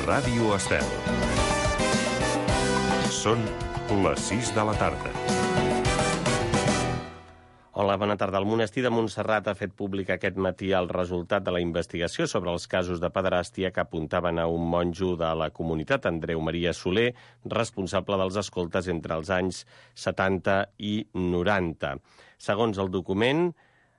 Ràdio Estel. Són les 6 de la tarda. Hola, bona tarda. El monestir de Montserrat ha fet públic aquest matí el resultat de la investigació sobre els casos de pederàstia que apuntaven a un monjo de la comunitat, Andreu Maria Soler, responsable dels escoltes entre els anys 70 i 90. Segons el document,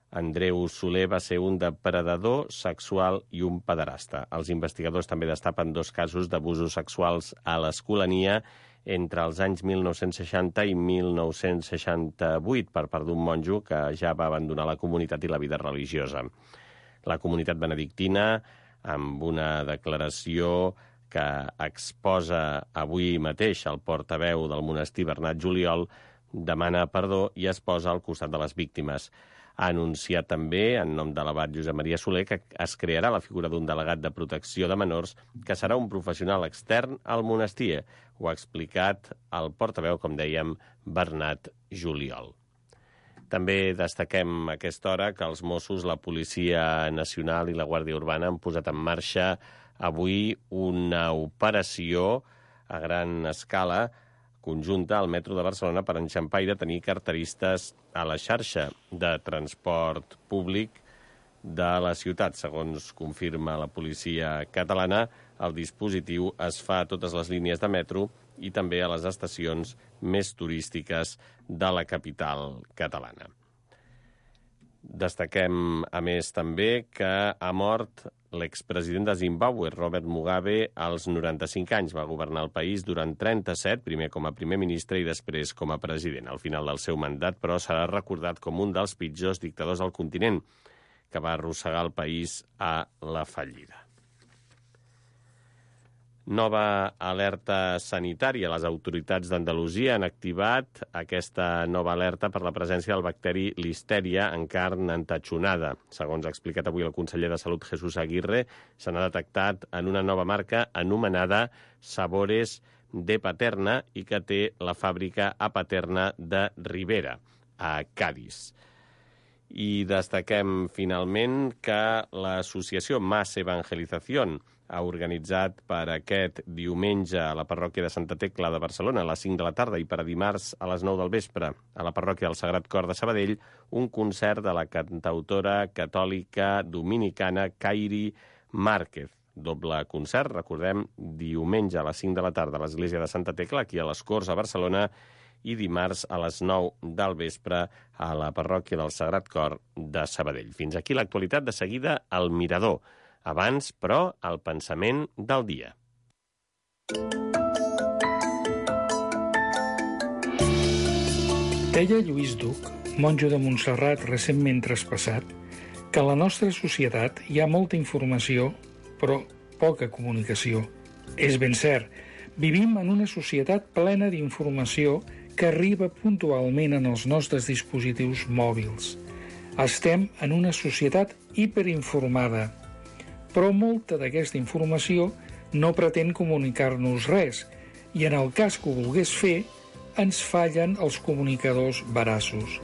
Andreu Soler va ser un depredador sexual i un pederasta. Els investigadors també destapen 2 casos d'abusos sexuals a l'Escolania entre els anys 1960 i 1968 per part d'un monjo que ja va abandonar la comunitat i la vida religiosa. La comunitat benedictina, amb una declaració que exposa avui mateix el portaveu del monestir, Bernat Juliol, demana perdó i es posa al costat de les víctimes. Ha anunciat també, en nom de l'abat Josep Maria Soler, que es crearà la figura d'un delegat de protecció de menors que serà un professional extern al monestir. Ho ha explicat el portaveu, com dèiem, Bernat Juliol. També destaquem a aquesta hora que els Mossos, la Policia Nacional i la Guàrdia Urbana han posat en marxa avui una operació a gran escala conjunta al metro de Barcelona per enxampar i detenir carteristes a la xarxa de transport públic de la ciutat. Segons confirma la policia catalana, el dispositiu es fa a totes les línies de metro i també a les estacions més turístiques de la capital catalana. Destaquem, a més, també que ha mort l'expresident de Zimbàbue, Robert Mugabe, als 95 anys. Va governar el país durant 37, primer com a primer ministre i després com a president. Al final del seu mandat, però, serà recordat com un dels pitjors dictadors del continent, que va arrossegar el país a la fallida. Nova alerta sanitària. Les autoritats d'Andalusia han activat aquesta nova alerta per la presència del bacteri Listeria en carn entatxonada. Segons ha explicat avui el conseller de Salut, Jesús Aguirre, se n'ha detectat en una nova marca anomenada Sabores de Paterna i que té la fàbrica a Paterna de Ribera, a Cádiz. I destaquem finalment que l'associació Más Evangelización ha organitzat per aquest diumenge a la parròquia de Santa Tecla de Barcelona a les 5 de la tarda i per a dimarts a les 9 del vespre a la parròquia del Sagrat Cor de Sabadell un concert de la cantautora catòlica dominicana Kairi Márquez. Doble concert, recordem, diumenge a les 5 de la tarda a l'església de Santa Tecla, aquí a les Corts a Barcelona, i dimarts a les 9 del vespre a la parròquia del Sagrat Cor de Sabadell. Fins aquí l'actualitat. De seguida, al Mirador. Abans, però, el pensament del dia. Deia Lluís Duc, monjo de Montserrat recentment traspassat, que a la nostra societat hi ha molta informació, però poca comunicació. És ben cert, vivim en una societat plena d'informació que arriba puntualment en els nostres dispositius mòbils. Estem en una societat hiperinformada, però molta d'aquesta informació no pretén comunicar-nos res i en el cas que ho volgués fer, ens fallen els comunicadors veraços.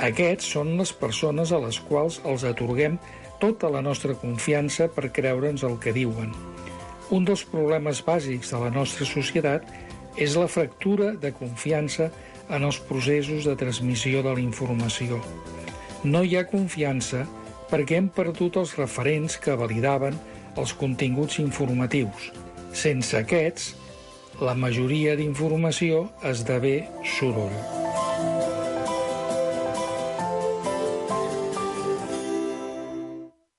Aquests són les persones a les quals els atorguem tota la nostra confiança per creure'ns el que diuen. Un dels problemes bàsics de la nostra societat és la fractura de confiança en els processos de transmissió de la informació. No hi ha confiança perquè hem perdut els referents que validaven els continguts informatius. Sense aquests, la majoria d'informació esdevé soroll.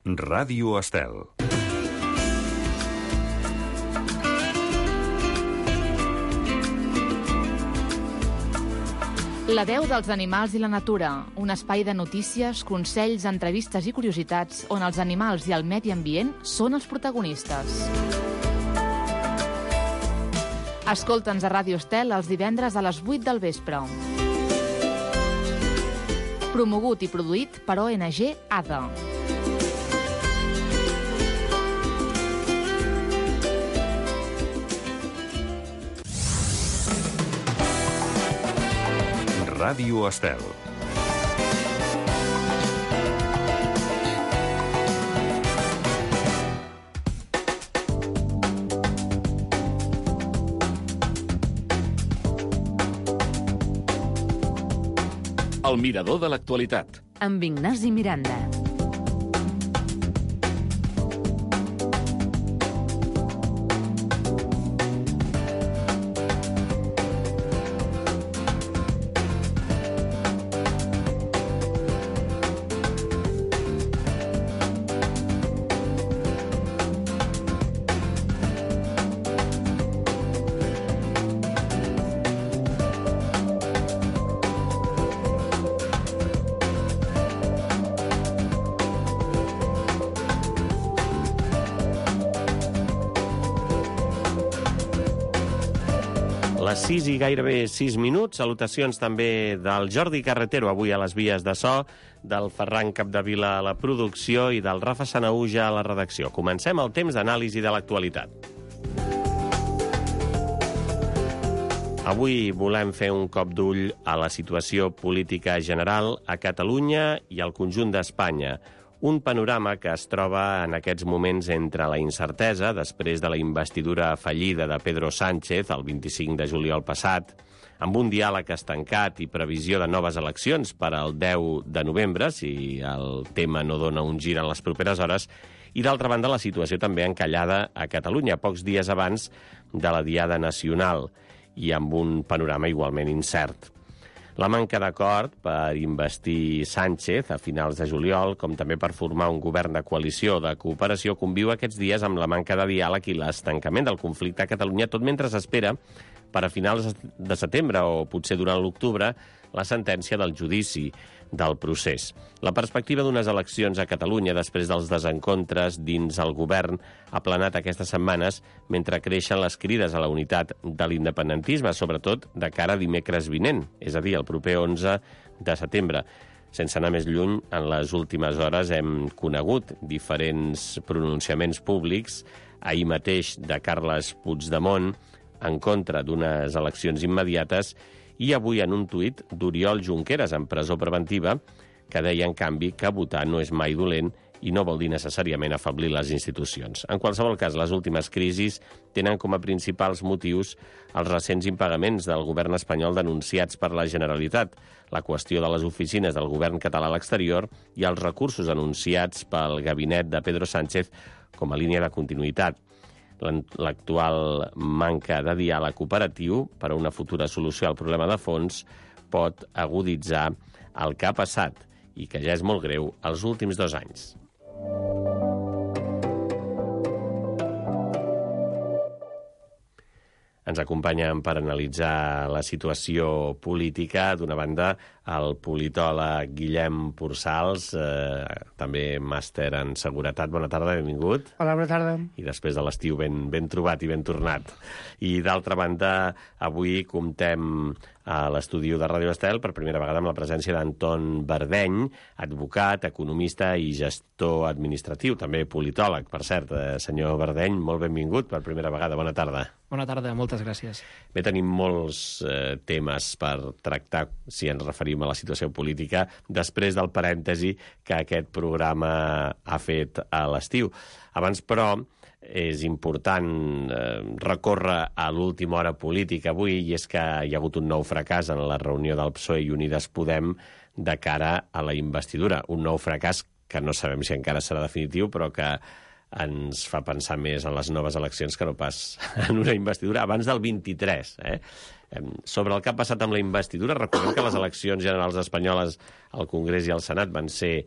Ràdio Estel. La veu dels animals i la natura, un espai de notícies, consells, entrevistes i curiositats on els animals i el medi ambient són els protagonistes. Escolta'ns a Ràdio Estel els divendres a les 8 del vespre. Promogut i produït per ONG ADA. Ràdio Estel. El mirador de l'actualitat. Amb Ignasi Miranda. Les 6 i gairebé 6 minuts. Salutacions també del Jordi Carretero, avui a les vies de so, del Ferran Capdevila a la producció i del Rafa Sanahuja a la redacció. Comencem el temps d'anàlisi de l'actualitat. Avui volem fer un cop d'ull a la situació política general a Catalunya i al conjunt d'Espanya. Un panorama que es troba en aquests moments entre la incertesa després de la investidura fallida de Pedro Sánchez el 25 de juliol passat, amb un diàleg estancat i previsió de noves eleccions per al 10 de novembre, si el tema no dona un gir en les properes hores, i d'altra banda la situació també encallada a Catalunya, pocs dies abans de la Diada Nacional, i amb un panorama igualment incert. La manca d'acord per investir Sánchez a finals de juliol, com també per formar un govern de coalició de cooperació, conviu aquests dies amb la manca de diàleg i l'estancament del conflicte a Catalunya, tot mentre s'espera per a finals de setembre o potser durant l'octubre la sentència del judici del procés. La perspectiva d'unes eleccions a Catalunya després dels desencontres dins el govern ha planat aquestes setmanes mentre creixen les crides a la unitat de l'independentisme, sobretot de cara a dimecres vinent, és a dir, el proper 11 de setembre. Sense anar més lluny, en les últimes hores hem conegut diferents pronunciaments públics, ahir mateix de Carles Puigdemont, en contra d'unes eleccions immediates, i avui en un tuit d'Oriol Junqueras, en presó preventiva, que deia, en canvi, que votar no és mai dolent i no vol dir necessàriament afeblir les institucions. En qualsevol cas, les últimes crisis tenen com a principals motius els recents impagaments del govern espanyol denunciats per la Generalitat, la qüestió de les oficines del govern català a l'exterior i els recursos anunciats pel gabinet de Pedro Sánchez com a línia de continuïtat. L'actual manca de diàleg operatiu per a una futura solució al problema de fons pot aguditzar el que ha passat i que ja és molt greu els últims 2 anys. Ens acompanyen per analitzar la situació política, d'una banda, el politòleg Guillem Pursals, també màster en seguretat. Bona tarda, benvingut. Hola, bona tarda. I després de l'estiu ben trobat i ben tornat. I d'altra banda, avui comptem a l'estudi de Ràdio Estel per primera vegada amb la presència d'Anton Verdeny, advocat, economista i gestor administratiu, també politòleg. Per cert, senyor Verdeny, molt benvingut per primera vegada. Bona tarda. Bona tarda, moltes gràcies. Bé, tenim molts temes per tractar, si ens referim a la situació política, després del parèntesi que aquest programa ha fet a l'estiu. Abans, però, és important recórrer a l'última hora política avui, i és que hi ha hagut un nou fracàs en la reunió del PSOE i Unides Podem de cara a la investidura. Un nou fracàs que no sabem si encara serà definitiu, però que ens fa pensar més en les noves eleccions que no pas en una investidura abans del 23. Sobre el que ha passat amb la investidura, recordem que les eleccions generals espanyoles al Congrés i al Senat van ser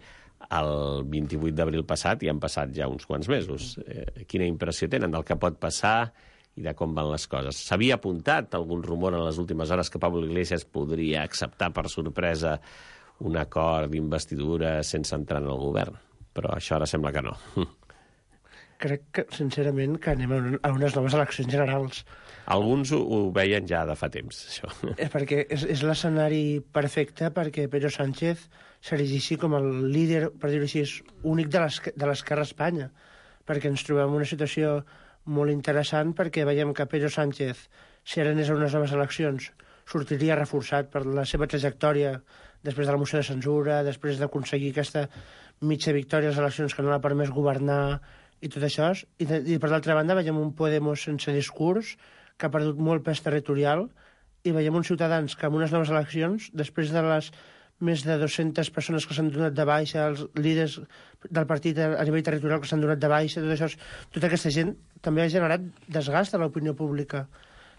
el 28 d'abril passat i han passat ja uns quants mesos. Quina impressió tenen del que pot passar i de com van les coses? S'havia apuntat algun rumor en les últimes hores que Pablo Iglesias podria acceptar per sorpresa un acord d'investidura sense entrar en el govern, però això ara sembla que no. Crec que, sincerament, que anem a unes noves eleccions generals. Alguns ho veien ja de fa temps, això. Perquè és l'escenari perfecte perquè Pedro Sánchez s'erigeixi com el líder, per dir-ho així, únic de l'esquerra a Espanya. Perquè ens trobem en una situació molt interessant, perquè veiem que Pedro Sánchez, si ara anés a unes noves eleccions, sortiria reforçat per la seva trajectòria després de la moció de censura, després d'aconseguir aquesta mitja victòria a les eleccions que no l'ha permès governar i tot això. I per l'altra banda veiem un Podemos sense discurs, que ha perdut molt pes territorial, i veiem uns ciutadans que en unes noves eleccions, després de les més de 200 persones que s'han donat de baixa, els líders del partit a nivell territorial que s'han donat de baixa, tota aquesta gent també ha generat desgast a l'opinió pública.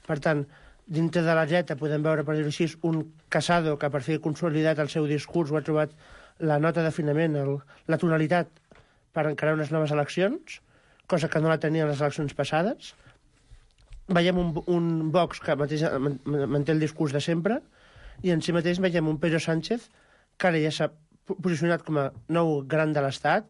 Per tant, dintre de la dreta podem veure, per dir-ho així, un Casado que per fi ha consolidat el seu discurs o ha trobat la nota d'afinament, la tonalitat per encarar unes noves eleccions, cosa que no la tenia en les eleccions passades. Veiem un Vox que manté el discurs de sempre, i en si mateix veiem un Pedro Sánchez que ara ja s'ha posicionat com a nou gran de l'Estat.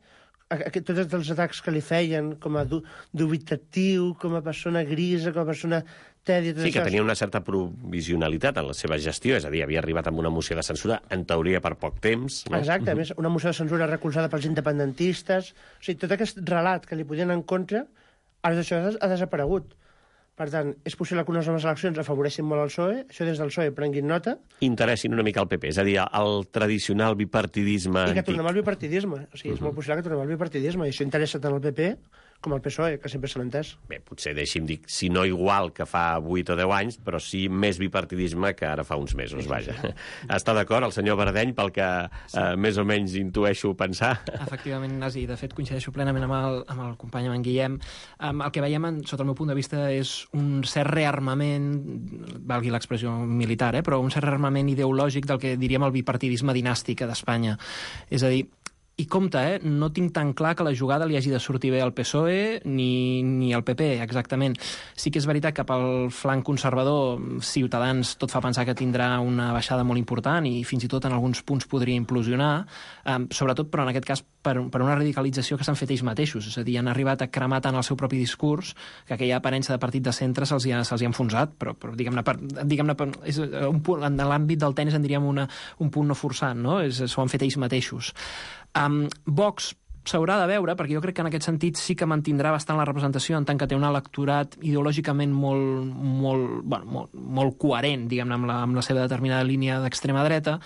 Tots els atacs que li feien com a dubitatiu, com a persona grisa, com a persona tèdia... Sí, que tenia una certa provisionalitat en la seva gestió, és a dir, havia arribat amb una moció de censura, en teoria per poc temps. No? Exacte, a més, una moció de censura recolzada pels independentistes. O sigui, tot aquest relat que li podien en contra, ara això ha desaparegut. Per tant, és possible que unes noves eleccions afavoreixin molt el PSOE, això des del PSOE prenguin nota. Interessin una mica el PP, és a dir, el tradicional bipartidisme antic. I que antic. tornem al bipartidisme. O sigui, és molt possible que tornem al bipartidisme, i això interessa tant al PP com al PSOE, que sempre se l'ha entès. Bé, potser deixi'm dir, si no igual que fa 8 o 10 anys, però sí més bipartidisme que ara fa uns mesos, vaja. Està d'acord el senyor Bardeny, pel que més o menys intueixo pensar? Efectivament, Nasi, de fet coincideixo plenament amb el company, amb en Guillem. El que veiem, sota el meu punt de vista, és un cert rearmament, valgui l'expressió militar, però un cert rearmament ideològic del que diríem el bipartidisme dinàstic d'Espanya. És a dir, i compte, no tinc tan clar que la jugada li hagi de sortir bé al PSOE ni al PP, exactament. Sí que és veritat que pel flanc conservador Ciutadans tot fa pensar que tindrà una baixada molt important i fins i tot en alguns punts podria implosionar, sobretot, però en aquest cas per una radicalització que s'han fet ells mateixos. És a dir, han arribat a cremar tant el seu propi discurs que aquella aparença de partit de centre se'ls hi ha enfonsat, però diguem-ne, és un punt, en l'àmbit del tenis en diríem un punt no forçant, no? S'ho han fet ells mateixos. Vox s'haurà de veure, perquè jo crec que en aquest sentit sí que mantindrà bastant la representació en tant que té un electorat ideològicament molt coherent, diguem-ne, amb la seva determinada línia d'extrema dreta.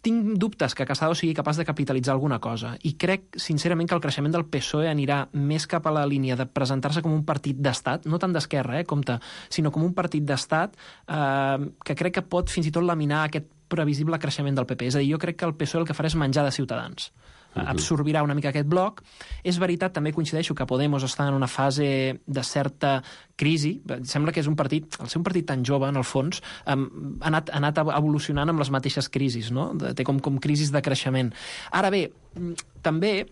Tinc dubtes que Casado sigui capaç de capitalitzar alguna cosa i crec, sincerament, que el creixement del PSOE anirà més cap a la línia de presentar-se com un partit d'estat, no tant d'esquerra, compte, sinó com un partit d'estat que crec que pot fins i tot laminar aquest previsible creixement del PP. És a dir, jo crec que el PSOE el que farà és menjar de Ciutadans. Absorbirà una mica aquest bloc. És veritat, també coincideixo que Podemos està en una fase de certa crisi. Sembla que és un partit, al ser un partit tan jove, en el fons, ha anat evolucionant amb les mateixes crisis, no? Té com crisis de creixement. Ara bé, també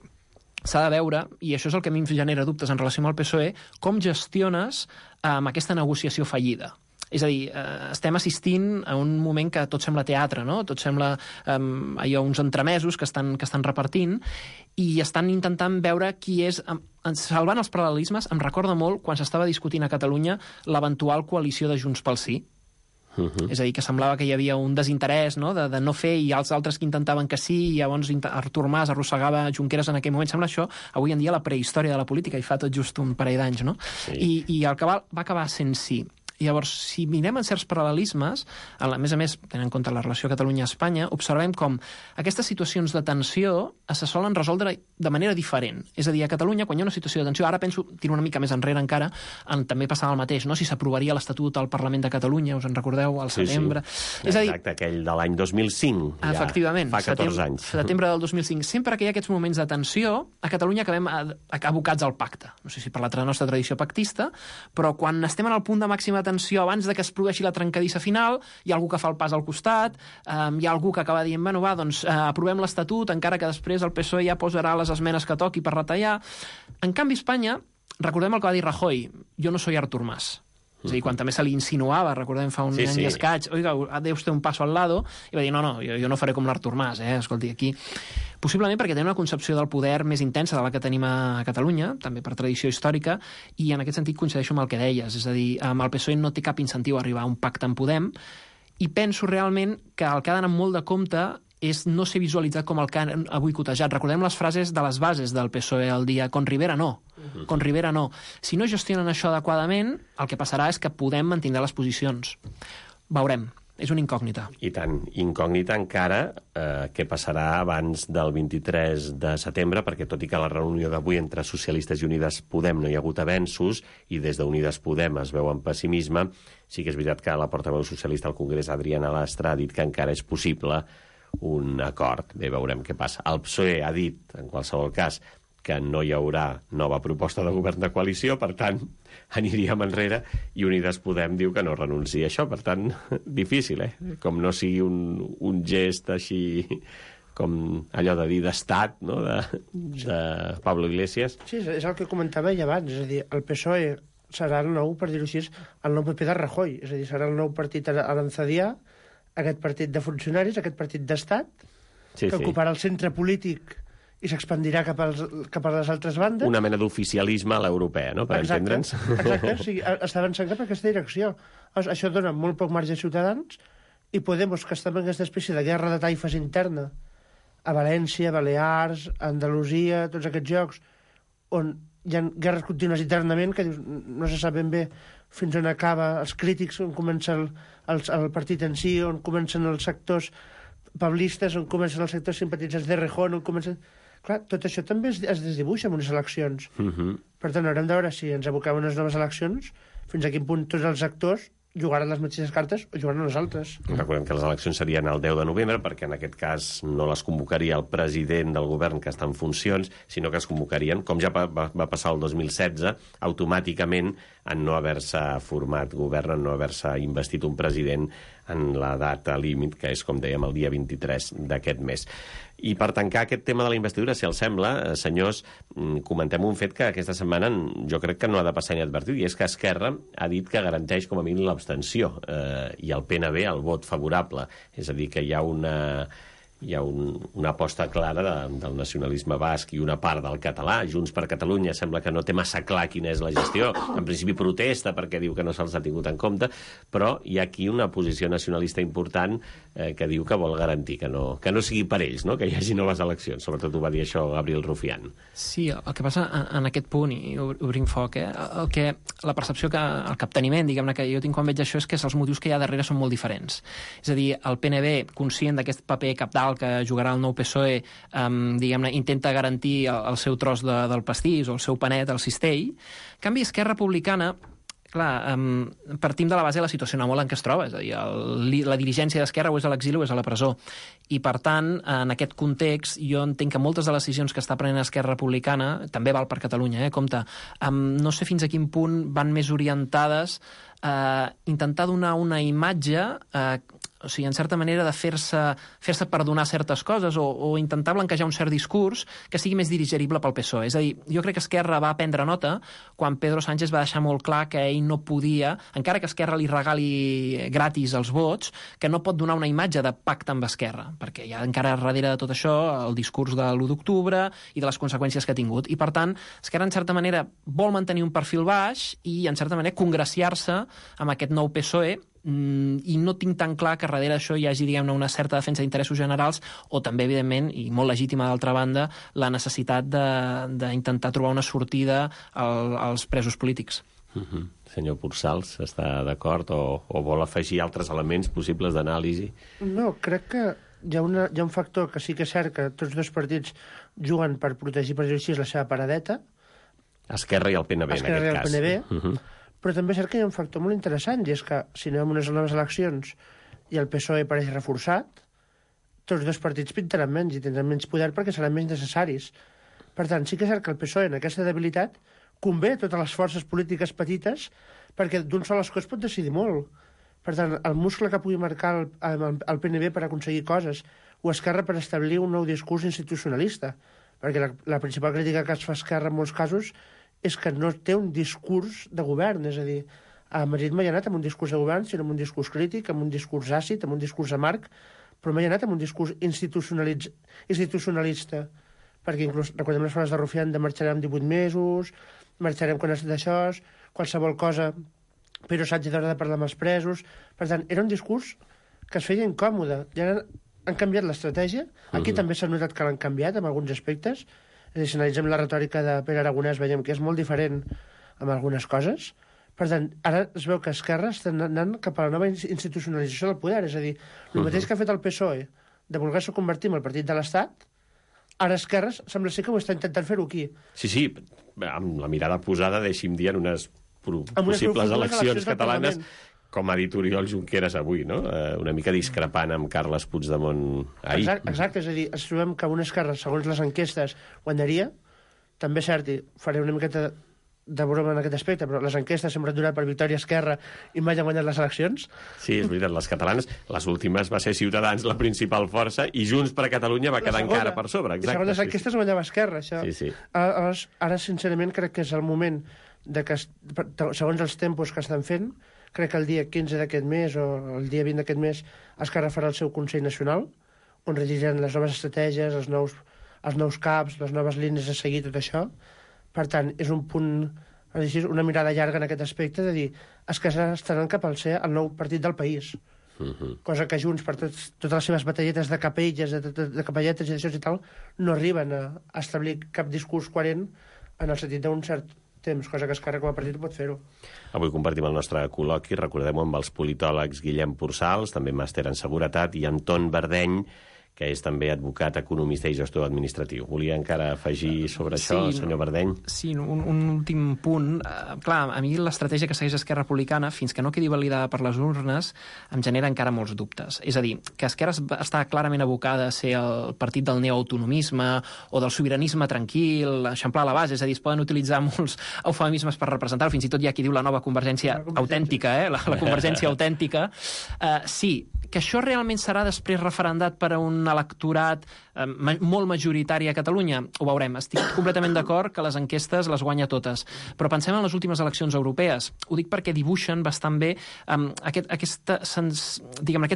s'ha de veure, i això és el que a mi em genera dubtes en relació amb el PSOE, com gestiones aquesta negociació fallida. És a dir, estem assistint a un moment que tot sembla teatre, no? Tot sembla uns entremesos que estan repartint i estan intentant veure qui és... Salvant els paral·lelismes, em recorda molt quan s'estava discutint a Catalunya l'eventual coalició de Junts pel Sí. És a dir, que semblava que hi havia un desinterès, no? De no fer, i els altres que intentaven que sí, i llavors Artur Mas arrossegava Junqueras en aquell moment. Sembla això, avui en dia, la prehistòria de la política, i fa tot just un parell d'anys, no? Sí. I el que va acabar sent sí. Llavors, si mirem en certs paral·lelismes, a més a més, tenint en compte la relació Catalunya-Espanya, observem com aquestes situacions de tensió se solen resoldre de manera diferent. És a dir, a Catalunya, quan hi ha una situació de tensió, ara penso, tiro una mica més enrere encara, també passava el mateix, no? Si s'aprovaria l'Estatut al Parlament de Catalunya, us en recordeu, al setembre. Sí. És a dir, exacte, aquell de l'any 2005. Efectivament. Fa 14 anys. Setembre del 2005. Sempre que hi ha aquests moments de tensió, a Catalunya acabem abocats al pacte. No sé si per la nostra tradició pactista, però quan estem en el punt de màxima tensió, abans de que es produeixi la trencadissa final, hi ha algú que fa el pas al costat, hi ha algú que acaba dient, bueno, va, doncs aprovem l'Estatut, encara que després el PSOE ja posarà les esmenes que toqui per retallar. En canvi, Espanya, recordem el que va dir Rajoy, jo no soy Artur Mas. És a dir, quan també se li insinuava, recordem fa un any i escaig, oiga, deu usted un paso al lado, i va dir, no, jo no faré com l'Artur Mas, escolti, aquí... Possiblement perquè tenen una concepció del poder més intensa de la que tenim a Catalunya, també per tradició històrica, i en aquest sentit coincideixo amb el que deies, és a dir, el PSOE no té cap incentiu a arribar a un pacte amb Podem, i penso realment que el que ha d'anar molt de compte és no ser visualitzat com el que han avui cotejat. Recordem les frases de les bases del PSOE al dia, con Rivera no, con Rivera no. Si no gestionen això adequadament, el que passarà és que Podem mantindrà les posicions. Veurem. És una incògnita. I tant, incògnita encara què passarà abans del 23 de setembre, perquè tot i que la reunió d'avui entre Socialistes i Unides Podem no hi ha hagut avenços, i des d'Unides Podem es veu amb pessimisme, sí que és veritat que la portaveu socialista al Congrés, Adriana Lastra, ha dit que encara és possible un acord. Bé, veurem què passa. El PSOE ha dit, en qualsevol cas, que no hi haurà nova proposta de govern de coalició, per tant, aniríem enrere, i Unides Podem diu que no renuncia a això. Per tant, difícil, Com no sigui un gest així com allò de dir d'estat, no?, de Pablo Iglesias. Sí, és el que comentava ell abans, és a dir, el PSOE serà el nou, per dir-ho així, el nou PP de Rajoy, és a dir, serà el nou partit aranzadià, aquest partit de funcionaris, aquest partit d'estat, que ocuparà el centre polític i s'expandirà cap a les altres bandes. Una mena d'oficialisme a l'europea, no?, per entendre'ns. Exacte, o sigui, està avançant cap a aquesta direcció. Això dona molt poc marge a Ciutadans, i Podemos, que està en aquesta espècie de guerra de taifes interna a València, Balears, Andalusia, tots aquests llocs, on hi ha guerres contínues internament, que no se sap ben bé fins on acaba els crítics, on comença el partit en si, on comencen els sectors pablistes, on comencen els sectors simpatitzants de Rejón, on comencen... Clar, tot això també es desdibuixa en unes eleccions. Per tant, haurem de veure si ens aboquem a unes noves eleccions, fins a quin punt tots els actors jugaran les mateixes cartes o jugaran les altres. Recordem que les eleccions serien el 10 de novembre, perquè en aquest cas no les convocaria el president del govern que està en funcions, sinó que es convocarien, com ja va passar el 2016, automàticament en no haver-se format govern, en no haver-se investit un president en la data límit, que és, com dèiem, el dia 23 d'aquest mes. I per tancar aquest tema de la investidura, si els sembla, senyors, comentem un fet que aquesta setmana jo crec que no ha de passar inadvertit, i és que Esquerra ha dit que garanteix com a mínim l'abstenció, i el PNB el vot favorable. És a dir, que hi ha una aposta clara del nacionalisme basc i una part del català. Junts per Catalunya sembla que no té massa clar quina és la gestió. En principi protesta perquè diu que no se'ls ha tingut en compte, però hi ha aquí una posició nacionalista important que diu que vol garantir que no sigui per ells, no?, que hi hagi noves eleccions. Sobretot ho va dir això Gabriel Rufián. Sí, el que passa en aquest punt, i obrim foc, la percepció, el capteniment, diguem-ne, que jo tinc quan veig això és que els motius que hi ha darrere són molt diferents. És a dir, el PNB, conscient d'aquest paper cabdal que jugarà el nou PSOE, diguem-ne, intenta garantir el seu tros del pastís o el seu panet, el cistell. En canvi, Esquerra Republicana, clar, partim de la base de la situació molt en què es troba, és a dir, la dirigència d'Esquerra o és a l'exili o és a la presó. I, per tant, en aquest context, jo entenc que moltes de les decisions que està prenent Esquerra Republicana, també val per Catalunya, compte, no sé fins a quin punt van més orientades a intentar donar una imatge, o sigui, en certa manera de fer-se perdonar certes coses o intentar blanquejar un cert discurs que sigui més digerible pel PSOE. És a dir, jo crec que Esquerra va prendre nota quan Pedro Sánchez va deixar molt clar que ell no podia, encara que Esquerra li regali gratis els vots, que no pot donar una imatge de pacte amb Esquerra, perquè hi ha encara darrere de tot això el discurs de l'1 d'octubre i de les conseqüències que ha tingut. I, per tant, Esquerra, en certa manera, vol mantenir un perfil baix i, en certa manera, congraciar-se amb aquest nou PSOE, i no tinc tan clar que darrere d'això hi hagi, diguem-ne, una certa defensa d'interessos generals o també, evidentment, i molt legítima d'altra banda, la necessitat d'intentar trobar una sortida als presos polítics. Senyor Pursals, està d'acord o vol afegir altres elements possibles d'anàlisi? No, crec que hi ha un factor que sí que és cert que tots dos partits juguen per protegir, per dir-ho així, la seva paradeta. Esquerra i el PNB, en aquest cas. Esquerra i el PNB. Però també és cert que hi ha un factor molt interessant, i és que si anem a unes noves eleccions i el PSOE pareix reforçat, tots dos partits pintaran menys i tindran menys poder perquè seran menys necessaris. Per tant, sí que és cert que el PSOE, en aquesta debilitat, convé a totes les forces polítiques petites perquè d'un sol escó es pot decidir molt. Per tant, el muscle que pugui marcar el PNB per aconseguir coses o Esquerra per establir un nou discurs institucionalista, perquè la principal crítica que es fa a Esquerra en molts casos és que no té un discurs de govern, és a dir, a Madrid mai ha anat amb un discurs de govern, sinó amb un discurs crític, amb un discurs àcid, amb un discurs amarg, però mai ha anat amb un discurs institucionalista, perquè inclús, recordem les paraules de Rufián, de marxarem 18 mesos, marxarem quan estat d'això, qualsevol cosa, però Sánchez haurà de parlar amb els presos. Per tant, era un discurs que es feia incòmode. Ja han canviat l'estratègia, aquí també s'ha notat que l'han canviat en alguns aspectes. És a dir, si analitzem la retòrica de Pere Aragonès, veiem que és molt diferent amb algunes coses. Per tant, ara es veu que Esquerra està anant cap a la nova institucionalització del poder. És a dir, el mateix que ha fet el PSOE de voler-se convertir en el partit de l'Estat, ara Esquerra sembla ser que ho està intentant fer-ho aquí. Sí, amb la mirada posada, deixi'm dir, en unes possibles eleccions catalanes, com ha dit Oriol Junqueras avui, no? Una mica discrepant amb Carles Puigdemont ahir. Exacte, és a dir, ens trobem que una Esquerra, segons les enquestes, guanyaria. També és cert, i faré una miqueta de broma en aquest aspecte, però les enquestes sempre han donat per victòria Esquerra i mai han guanyat les eleccions. Sí, és veritat, les catalanes, les últimes va ser Ciutadans la principal força i Junts per Catalunya va quedar encara per sobre. Exacte, segons les enquestes guanyava Esquerra, això. Sí. Ara, sincerament, crec que és el moment de que, segons els tempos que estan fent, crec que el dia 15 d'aquest mes o el dia 20 d'aquest mes Esquerra farà el seu Consell Nacional, on regiran les noves estratègies, els nous caps, les noves línies a seguir, tot això. Per tant, és un punt, una mirada llarga en aquest aspecte de dir es que estaran cap al ser el nou partit del país. Cosa que Junts, per totes les seves batalletes de capelles, de capelletes i d'això i tal, no arriben a establir cap discurs coherent en el sentit d'un cert temps, cosa que Esquerra com a partit pot fer-ho. Avui compartim el nostre col·loqui, recordem-ho, amb els politòlegs Guillem Pursals, també màster en seguretat, i Anton Verdeny, que és també advocat, economista i gestor administratiu. Volia encara afegir sobre això, senyor Verdeny? Sí, un últim punt. Clar, a mi l'estratègia que segueix Esquerra Republicana, fins que no quedi validada per les urnes, em genera encara molts dubtes. És a dir, que Esquerra està clarament abocada a ser el partit del neoautonomisme o del sobiranisme tranquil, eixamplar la base, és a dir, es poden utilitzar molts eufemismes per representar-ho, fins i tot hi ha qui diu la nova convergència autèntica, la convergència autèntica. Sí, que això realment serà després referendat per a un electorat molt majoritari a Catalunya, ho veurem. Estic completament d'acord que les enquestes les guanya totes, però pensem en les últimes eleccions europees. Ho dic perquè dibuixen bastant bé aquest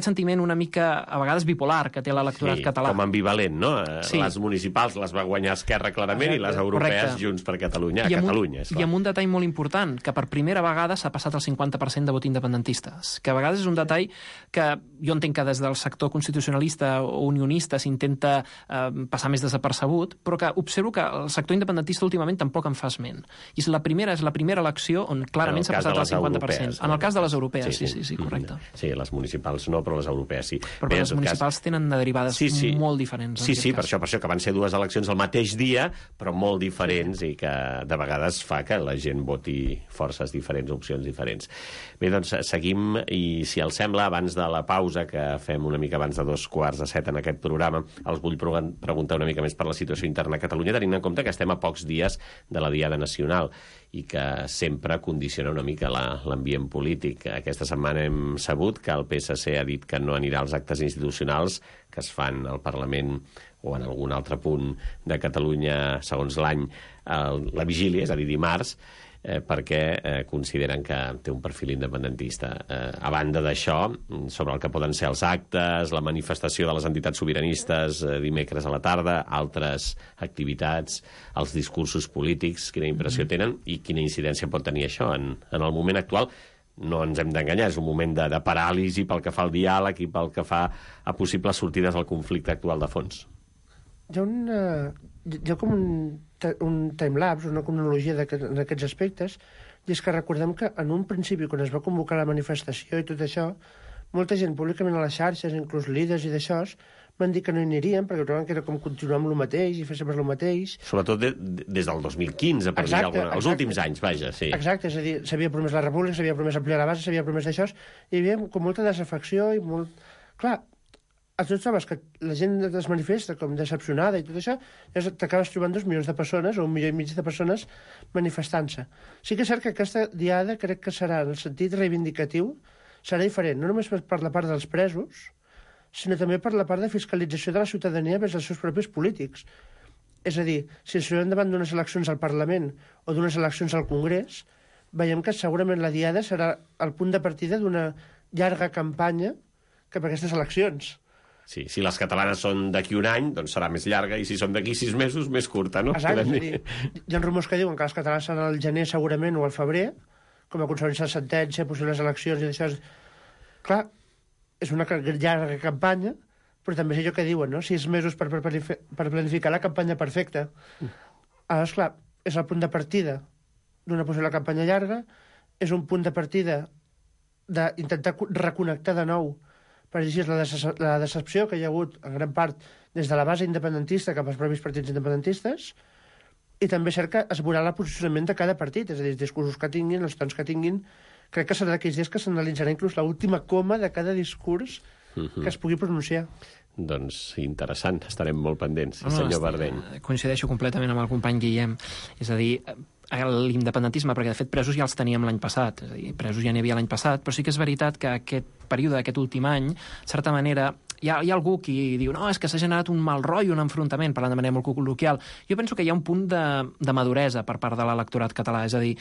sentiment una mica, a vegades, bipolar que té l'electorat català. Com ambivalent, no? Sí. Les municipals les va guanyar Esquerra clarament i les europees Junts per Catalunya. A Catalunya, és clar. I amb un detall molt important, que per primera vegada s'ha passat el 50% de vot independentistes, que a vegades és un detall que jo entenc que des del sector constitucionalista o unionista s'intenta passar més desapercebut, però que observo que el sector independentista últimament tampoc en fa esment. I és la primera elecció on clarament s'ha passat el 50%. En el cas de les europees, sí, correcte. Sí, les municipals no, però les europees sí. Però les municipals tenen derivades molt diferents. Sí, per això, que van ser dues eleccions al mateix dia, però molt diferents i que de vegades fa que la gent voti forces diferents, opcions diferents. Bé, doncs seguim i, si els sembla, abans de la pausa que fem una mica abans de 6:45 en aquest programa, els vull preguntar una mica més per la situació interna a Catalunya, tenint en compte que estem a pocs dies de la Diada Nacional i que sempre condiciona una mica l'ambient polític. Aquesta setmana hem sabut que el PSC ha dit que no anirà als actes institucionals que es fan al Parlament o en algun altre punt de Catalunya segons l'any la vigília, és a dir, dimarts, perquè consideren que té un perfil independentista. A banda d'això, sobre el que poden ser els actes, la manifestació de les entitats sobiranistes dimecres a la tarda, altres activitats, els discursos polítics, quina impressió tenen i quina incidència pot tenir això en el moment actual? No ens hem d'enganyar, és un moment de paràlisi pel que fa al diàleg i pel que fa a possibles sortides al conflicte actual de fons. Hi ha com un timelapse, una cronologia d'aquests aspectes, i és que recordem que en un principi, quan es va convocar la manifestació i tot això, molta gent públicament a les xarxes, inclús líders i d'això, van dir que no hi anirien perquè trobaven que era com continuar amb el mateix i fer sempre el mateix. Sobretot des del 2015, per dir alguna cosa. Els últims anys, vaja, sí. Exacte, és a dir, s'havia promès la república, s'havia promès ampliar la base, s'havia promès d'això, i hi havia com molta desafecció i molt... Clar, tu trobes que la gent es manifesta com decepcionada i tot això, t'acabes trobant 2 milions de persones o 1,5 milió de persones manifestant-se. Sí que és cert que aquesta diada crec que serà, en el sentit reivindicatiu, serà diferent, no només per la part dels presos, sinó també per la part de fiscalització de la ciutadania vers els seus propis polítics. És a dir, si ens trobem davant d'unes eleccions al Parlament o d'unes eleccions al Congrés, veiem que segurament la diada serà el punt de partida d'una llarga campanya cap a aquestes eleccions. Sí, si les catalanes són d'aquí un any, doncs serà més llarga, i si són d'aquí 6 mesos, més curta, no? Exacte, hi ha rumors que diuen que les catalanes seran al gener segurament o al febrer, com a conseqüència de sentència, possibles eleccions i d'això. Clar, és una llarga campanya, però també és allò que diuen, no? 6 mesos per planificar la campanya perfecta. Aleshores, clar, és el punt de partida d'una possible campanya llarga, és un punt de partida d'intentar reconnectar de nou, per dir la decepció que hi ha hagut en gran part des de la base independentista cap als propis partits independentistes, i també és cert que es veurà el posicionament de cada partit, és a dir, els discursos que tinguin, els tons que tinguin, crec que serà d'aquells dies que s'analitzarà inclús l'última coma de cada discurs que es pugui pronunciar. Doncs interessant, estarem molt pendents, senyor Bardeny. Coincideixo completament amb el company Guillem. És a dir, l'independentisme, perquè de fet presos ja els teníem l'any passat, és a dir, presos ja n'hi havia l'any passat, però sí que és veritat que aquest període, aquest últim any, de certa manera, hi ha algú qui diu no, és que s'ha generat un mal rotllo, un enfrontament, parlant de manera molt col·loquial. Jo penso que hi ha un punt de maduresa per part de l'electorat català, és a dir,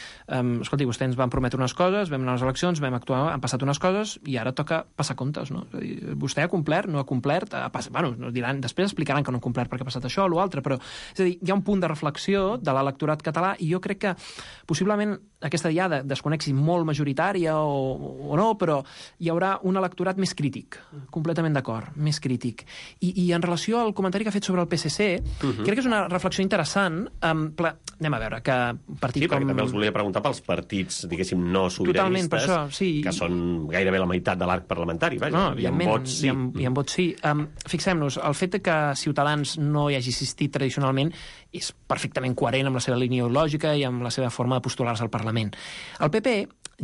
escolti, vostès ens van prometre unes coses, vam anar a les eleccions, vam actuar, han passat unes coses i ara toca passar comptes, no? És a dir, vostè ha complert, no ha complert, bueno, diran, després explicaran que no ha complert perquè ha passat això o l'altre, però és a dir, hi ha un punt de reflexió de l'electorat català i jo crec que possiblement aquesta diada desconexi molt majoritària o no, però hi haurà un electorat més crític, completament d'acord, més crític. I en relació al comentari que ha fet sobre el PSC, crec que és una reflexió interessant. Anem a veure, que partit com... Sí, perquè també els volia preguntar pels partits, diguéssim, no sobiranistes, totalment, per això, sí. Que són gairebé la meitat de l'arc parlamentari, vaja, no, i amb vots sí. I amb vots sí. Fixem-nos, el fet que Ciutadans no hi hagi assistit tradicionalment és perfectament coherent amb la seva línia ideològica i amb la seva forma de postular-se al Parlament. El PP,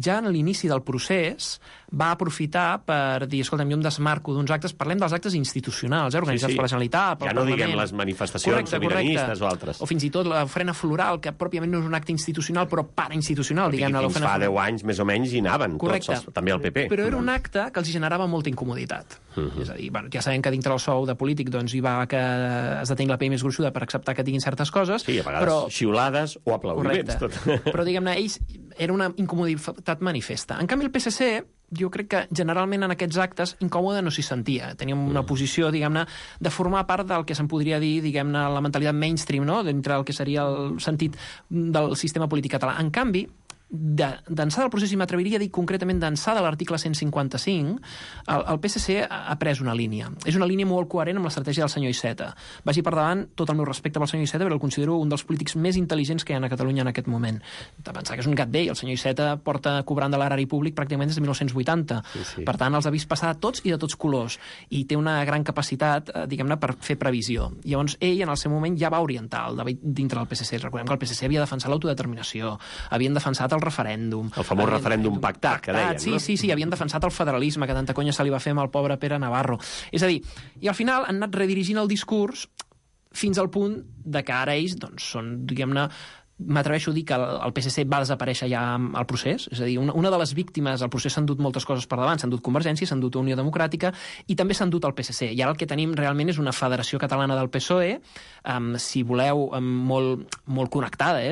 ja en l'inici del procés, va aprofitar per dir, escolta'm, jo em desmarco d'uns actes, parlem dels actes institucionals, organitzats per la Generalitat, pel Parlament. Ja no diguem les manifestacions sobiranistes o altres. O fins i tot l'ofrena floral, que pròpiament no és un acte institucional, però parainstitucional, diguem-ne. Fins fa 10 anys, més o menys, hi anaven tots, també el PP. Però era un acte que els generava molta incomoditat. És a dir, bueno, ja sabem que dintre el sou de polític doncs, hi va que es detingui la pell més gruixuda per acceptar que diguin certes coses. Sí, a vegades xiulades o aplaudiments. Però, diguem-ne, ells era una incomoditat manifesta. En canvi, el PSC, jo crec que generalment en aquests actes incòmode no s'hi sentia. Teníem una posició, diguem-ne, de formar part del que se'n podria dir, diguem-ne, la mentalitat mainstream, no?, dintre el que seria el sentit del sistema polític català. En canvi, d'ençà del procés, i m'atreviria a dir concretament d'ençà de l'article 155, el PSC ha pres una línia. És una línia molt coherent amb l'estratègia del senyor Iceta. Vagi per davant tot el meu respecte pel senyor Iceta, però el considero un dels polítics més intel·ligents que hi ha a Catalunya en aquest moment. De pensar que és un gat vell. El senyor Iceta porta cobrant de l'erari públic pràcticament des de 1980. Sí. Per tant, els ha vist passar de tots i de tots colors. I té una gran capacitat, diguem-ne, per fer previsió. Llavors, ell, en el seu moment, ja va orientar el debat dintre del PSC. Recordem que el PSC havia defensat l'autodeterminació, havien defensat el referèndum. El famós referèndum pactat, que deien, no? Sí, havien defensat el federalisme, que tanta conya se li va fer amb el pobre Pere Navarro. És a dir, i al final han anat redirigint el discurs fins al punt de que ara ells doncs, són, diguem-ne, m'atreveixo a dir que el PSC va desaparèixer ja al procés, és a dir, una de les víctimes al procés s'han dut moltes coses per davant, s'han dut Convergència, s'han dut Unió Democràtica i també s'han dut el PSC. I ara el que tenim realment és una federació catalana del PSOE, si voleu, molt connectada,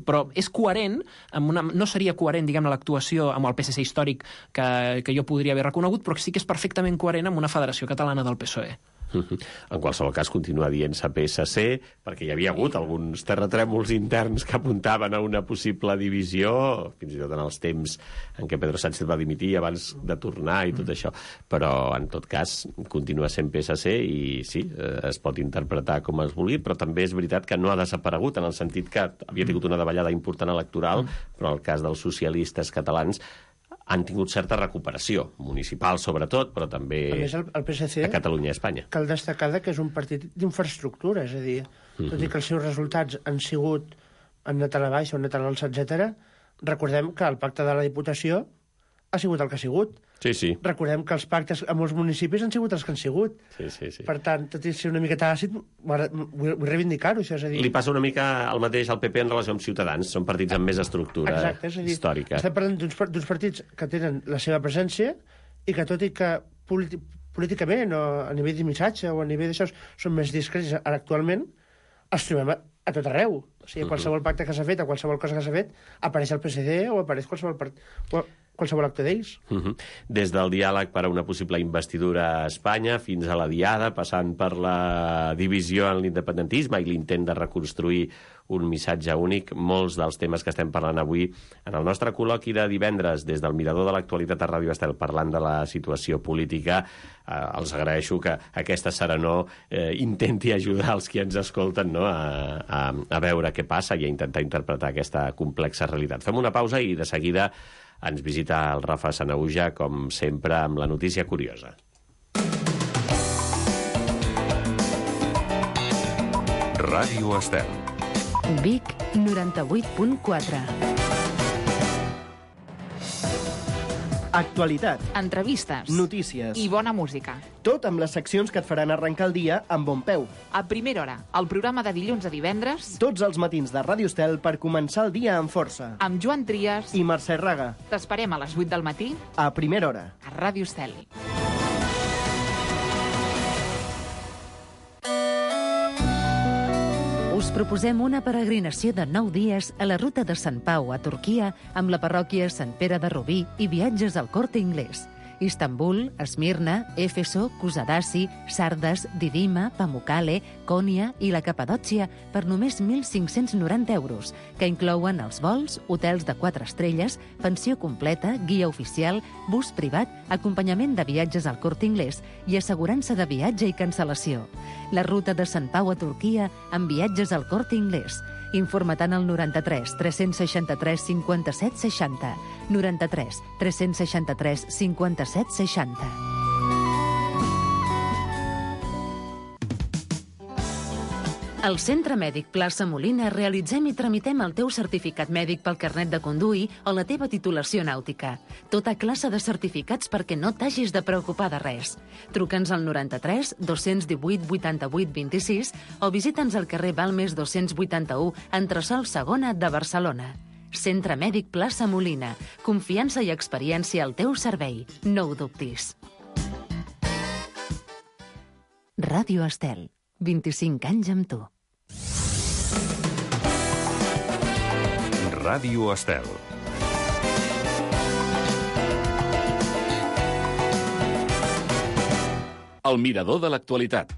però és coherent, no seria coherent, diguem-ne, l'actuació amb el PSC històric que jo podria haver reconegut, però sí que és perfectament coherent amb una federació catalana del PSOE. En qualsevol cas, continua dient-se PSC, perquè hi havia hagut alguns terratrèmols interns que apuntaven a una possible divisió, fins i tot en els temps en què Pedro Sánchez va dimitir abans de tornar i tot això. Però, en tot cas, continua sent PSC i sí, es pot interpretar com es vulgui, però també és veritat que no ha desaparegut, en el sentit que havia tingut una davallada important electoral, però en el cas dels socialistes catalans han tingut certa recuperació, municipal sobretot, però també a més, el PSC, a Catalunya i Espanya. Cal destacar que és un partit d'infraestructura, és a dir, tot i que els seus resultats han anat a la baixa, han anat a l'alça, etc. Recordem que el pacte de la Diputació ha sigut el que ha sigut. Sí. Recordem que els pactes a molts municipis han sigut els que han sigut. Sí. Per tant, tot i ser una miqueta àcid, vull reivindicar-ho, això és a dir... Li passa una mica el mateix al PP en relació amb Ciutadans, són partits amb més estructura històrica. Estem parlant d'uns partits que tenen la seva presència i que, tot i que políticament o a nivell de missatge o a nivell d'això són més discrets actualment, els trobem a tot arreu. O sigui, qualsevol pacte que s'ha fet, o qualsevol cosa que s'ha fet, apareix el PSD o apareix qualsevol acte d'ells. Des del diàleg per a una possible investidura a Espanya fins a la diada, passant per la divisió en l'independentisme i l'intent de reconstruir un missatge únic, molts dels temes que estem parlant avui en el nostre col·loqui de divendres des del Mirador de l'Actualitat a Ràdio Estel, parlant de la situació política. Els agraeixo que aquesta serenor intenti ajudar els que ens escolten, no?, a veure què passa i a intentar interpretar aquesta complexa realitat. Fem una pausa i de seguida ens visita el Rafa Sanahuja, com sempre, amb la notícia curiosa. Ràdio Estel. Vic 98.4. Actualitat, Entrevistes. notícies, I bona música. tot amb les seccions que et faran arrencar el dia amb bon peu. A primera hora, el programa de dilluns a divendres, Tots els matins de Ràdio Estel per començar el dia amb força. amb Joan Trias. I Mercè Raga, T'esperem a les 8 del matí a primera hora. a Ràdio Estel. Us proposem una peregrinació de 9 dies a la ruta de Sant Pau a Turquia amb la parròquia Sant Pere de Rubí i viatges al Corte Inglés. Istanbul, Esmirna, Éfeso, Kusadasi, Sardes, Didima, Pamukkale, Konya i la Capadòcia per només 1.590 euros, que inclouen els vols, hotels de 4 estrelles, pensió completa, guia oficial, bus privat, acompanyament de viatges al Corte Inglés i assegurança de viatge i cancel·lació. La ruta de Sant Pau a Turquia amb viatges al Corte Inglés. Informa-te'n al 93 363 57 60. 93 363 57 60. Al Centre Mèdic Plaça Molina realitzem i tramitem el teu certificat mèdic pel carnet de conduir o la teva titulació nàutica. Tota classe de certificats perquè no t'hagis de preocupar de res. Truca'ns al 93 218 88 26 o visita'ns al carrer Balmes 281, entresòl segona de Barcelona. Centre Mèdic Plaça Molina. Confiança i experiència al teu servei. No ho dubtis. Ràdio Estel. 25 anys amb tu. Ràdio Estel. El mirador de l'actualitat.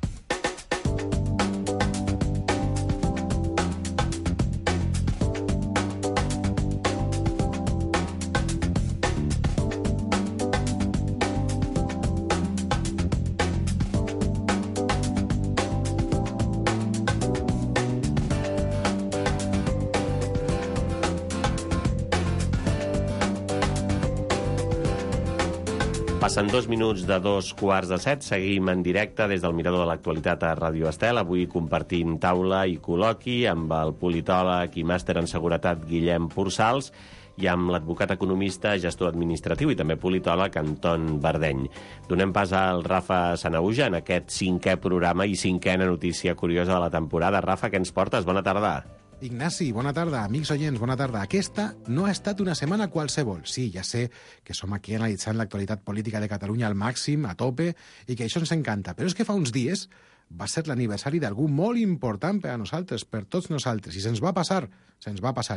Passen 2 minuts de 2:15. Seguim en directe des del Mirador de l'Actualitat a Ràdio Estel. Avui compartint taula i col·loqui amb el politòleg i màster en seguretat Guillem Pursals i amb l'advocat economista, gestor administratiu i també politòleg Anton Bardeny. Donem pas al Rafa Sanauja en aquest 5è programa i 5a notícia curiosa de la temporada. Rafa, què ens portes? Bona tarda. Ignasi, bona tarda. Amics oients, bona tarda. Aquesta no ha estat una setmana qualsevol. Sí, ja sé que som aquí analitzant l'actualitat política de Catalunya al màxim, a tope, i que això ens encanta. Però és que fa uns dies va ser l'aniversari d'algú molt important per a nosaltres, per tots nosaltres, i se'ns va passar.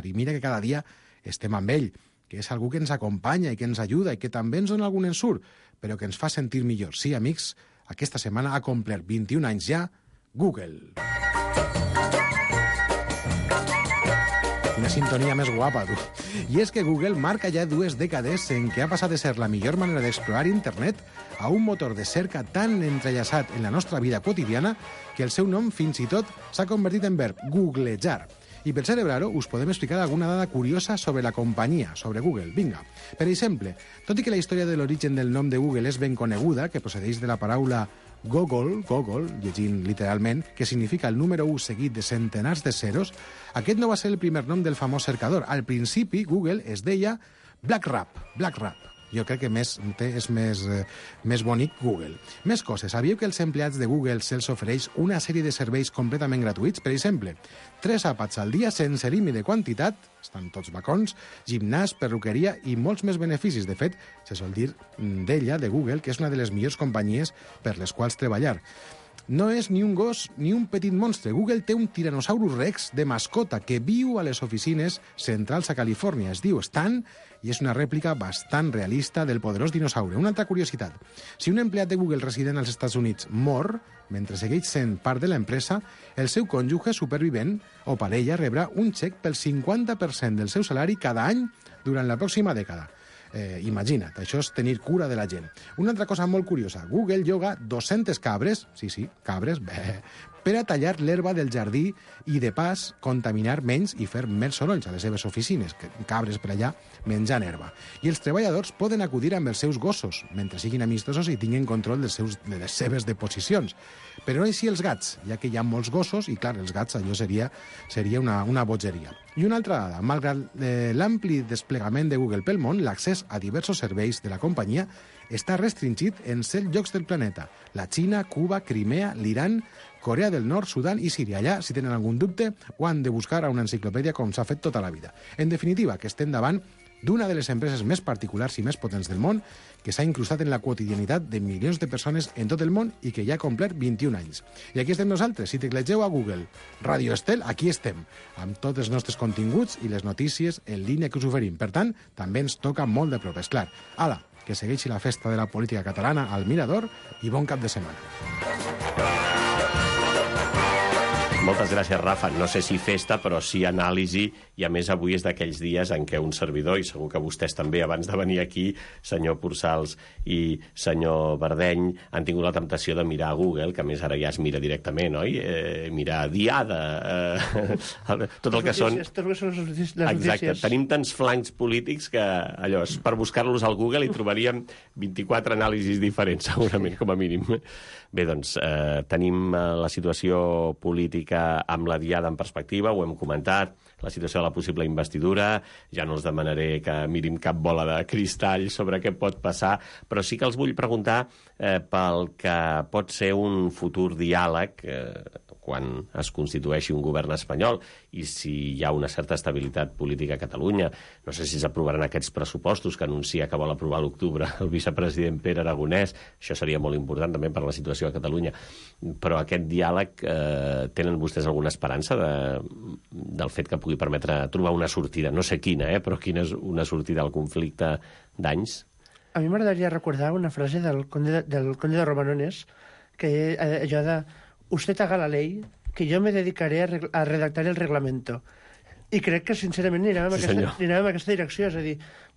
I mira que cada dia estem amb ell, que és algú que ens acompanya i que ens ajuda i que també ens dona algun ensurt, però que ens fa sentir millor. Sí, amics, aquesta setmana ha complert 21 anys ja Google. Quina sintonia més guapa, tu. I és que Google marca ja 2 dècades en què ha passat de ser la millor manera d'explorar internet a un motor de cerca tan entrellaçat en la nostra vida quotidiana que el seu nom fins i tot s'ha convertit en verb googlejar. I per celebrar-ho us podem explicar alguna dada curiosa sobre la companyia, sobre Google. Vinga. Per exemple, tot i que la història de l'origen del nom de Google és ben coneguda, que procedeix de la paraula Gogol, llegint literalment, que significa el número 1 seguit de centenars de zeros, aquest no va ser el primer nom del famós cercador. Al principi, Google es deia BlackRap. Jo crec que és més bonic Google. Més coses. Sabíeu que als empleats de Google se'ls ofereix una sèrie de serveis completament gratuïts? Per exemple, 3 àpats al dia sense límit de quantitat, estan tots bacons, gimnàs, perruqueria i molts més beneficis. De fet, se sol dir d'ella, de Google, que és una de les millors companyies per les quals treballar. No és ni un gos ni un petit monstre. Google té un Tyrannosaurus Rex de mascota que viu a les oficines centrals a Califòrnia. Es diu Stan i és una rèplica bastant realista del poderós dinosaure. Una altra curiositat. Si un empleat de Google resident als Estats Units mor, mentre segueix sent part de l'empresa, el seu cònjuge supervivent o parella rebrà un xec pel 50% del seu salari cada any durant la pròxima dècada. Imagina't, això és tenir cura de la gent. Una altra cosa molt curiosa, Google lloga 200 cabres, sí, cabres, per a tallar l'herba del jardí i, de pas, contaminar menys i fer més sorolls a les seves oficines, que cabres per allà menjant herba. I els treballadors poden acudir amb els seus gossos, mentre siguin amistosos i tinguin control de les seves deposicions. Però no així els gats, ja que hi ha molts gossos i, clar, els gats allò seria una bogeria. I una altra dada, malgrat l'ampli desplegament de Google pel món, l'accés a diversos serveis de la companyia està restringit en 7 llocs del planeta: la Xina, Cuba, Crimea, l'Iran, Corea del Nord, Sudan i Síria. Allà, si tenen algun dubte, ho han de buscar a una enciclopèdia com s'ha fet tota la vida. En definitiva, que estem davant d'una de les empreses més particulars i més potents del món, que s'ha incrustat en la quotidianitat de milions de persones en tot el món i que ja ha complert 21 anys. I aquí estem nosaltres. Si teclegeu a Google Radio Estel, aquí estem, amb tots els nostres continguts i les notícies en línia que us oferim. Per tant, també ens toca molt de prop, és clar. Ala, que segueixi la festa de la política catalana al Mirador i bon cap de setmana. Moltes gràcies, Rafa. No sé si festa, però sí anàlisi, i a més avui és d'aquells dies en què un servidor, i segur que vostès també, abans de venir aquí, senyor Pursals i senyor Bardeny, han tingut la temptació de mirar a Google, que a més ara ja es mira directament, oi? Mirar Diada, tot el que són... Exacte, tenim tants flancs polítics que allò, per buscar-los al Google hi trobaríem 24 anàlisis diferents, segurament, com a mínim. Bé, doncs, tenim la situació política amb la Diada en perspectiva, ho hem comentat, la situació de la possible investidura, ja no els demanaré que mirin cap bola de cristall sobre què pot passar, però sí que els vull preguntar pel que pot ser un futur diàleg quan es constitueixi un govern espanyol i si hi ha una certa estabilitat política a Catalunya. No sé si s'aprovaran aquests pressupostos que anuncia que vol aprovar a l'octubre el vicepresident Pere Aragonès. Això seria molt important també per la situació a Catalunya. Però aquest diàleg, tenen vostès alguna esperança del fet que pugui permetre trobar una sortida? No sé quina, però quina és una sortida al conflicte d'anys? A mi m'agradaria recordar una frase del conde de Romanones, que allò de «Usted haga la ley, que yo me dedicaré a redactar el reglamento». I crec que, sincerament, anirem en aquesta direcció. És a dir,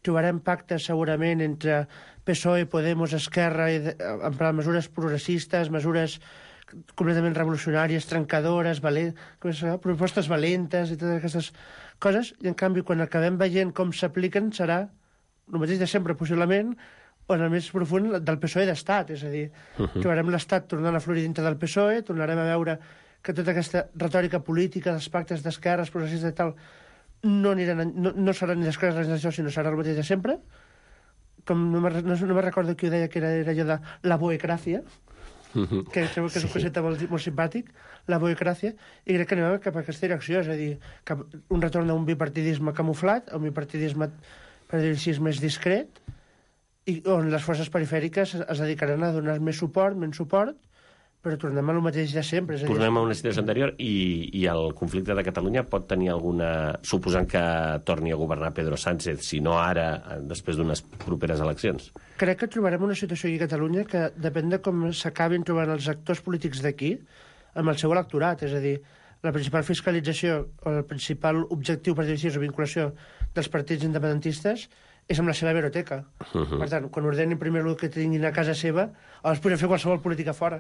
trobarem pactes segurament entre PSOE, Podemos, Esquerra, en plan mesures progressistes, mesures completament revolucionàries, trencadores, propostes valentes i totes aquestes coses. I, en canvi, quan acabem veient com s'apliquen, serà el mateix de sempre, possiblement, o en el més profund del PSOE d'estat. És a dir, trobarem l'estat tornant a florir dintre del PSOE, tornarem a veure que tota aquesta retòrica política dels pactes d'esquerres, progressistes i tal, no serà ni d'esquerres ni d'això, sinó serà el mateix de sempre. Com no me recordo qui ho deia, que era allò de la boecràcia, que crec que és un concepte molt simpàtic, la boecràcia, i crec que anem cap a aquesta direcció, és a dir, cap un retorn a un bipartidisme camuflat, a un bipartidisme, per dir-ho així, més discret, i on les forces perifèriques es dedicaran a donar més suport, menys suport, però tornem a lo mateix de sempre. Tornem a una situació anterior i el conflicte de Catalunya pot tenir alguna... Suposant que torni a governar Pedro Sánchez, si no ara, després d'unes properes eleccions. Crec que trobarem una situació aquí a Catalunya que depèn de com s'acabin trobant els actors polítics d'aquí amb el seu electorat. És a dir, la principal fiscalització o el principal objectiu, per dir-ho així, o vinculació dels partits independentistes és amb la seva hemeroteca. Per tant, quan ordenin primer el que tinguin a casa seva, els podem fer qualsevol política fora.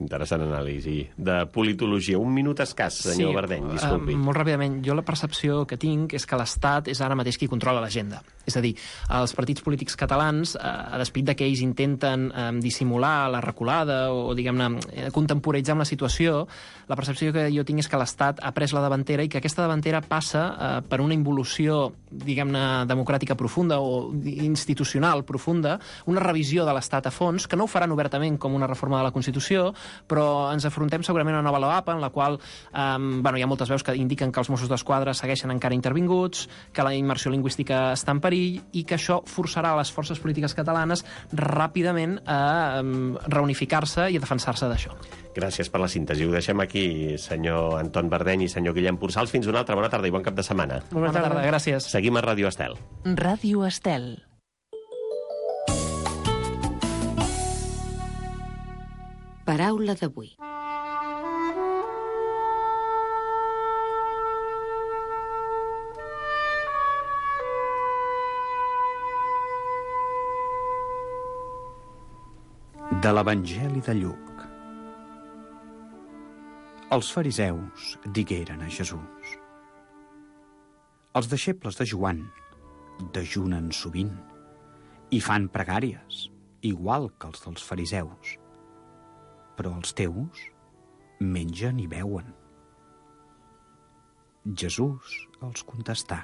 Interessant anàlisi de politologia. Un minut escàs, senyor Bardeny, disculpi. Molt ràpidament. Jo la percepció que tinc és que l'Estat és ara mateix qui controla l'agenda. És a dir, els partits polítics catalans, a despit de que ells intenten dissimular la reculada o, diguem-ne, contemporitzar amb la situació, la percepció que jo tinc és que l'Estat ha pres la davantera i que aquesta davantera passa per una involució, diguem-ne, democràtica profunda o institucional profunda, una revisió de l'Estat a fons, que no ho faran obertament com una reforma de la Constitució, però ens afrontem segurament a una nova LOAPA en la qual hi ha moltes veus que indiquen que els Mossos d'Esquadra segueixen encara intervinguts, que la immersió lingüística està en perill i que això forçarà les forces polítiques catalanes ràpidament a reunificar-se i a defensar-se d'això. Gràcies per la síntesi. Ho deixem aquí, senyor Anton Bardeny i senyor Guillem Pursals. Fins una altra. Bona tarda i bon cap de setmana. Bona tarda, gràcies. Seguim a Ràdio Estel. Ràdio Estel. Paraula d'avui. De l'Evangeli de Lluc. Els fariseus digueren a Jesús: els deixebles de Joan dejunen sovint i fan pregàries, igual que els dels fariseus, però els teus mengen i beuen. Jesús els contestà: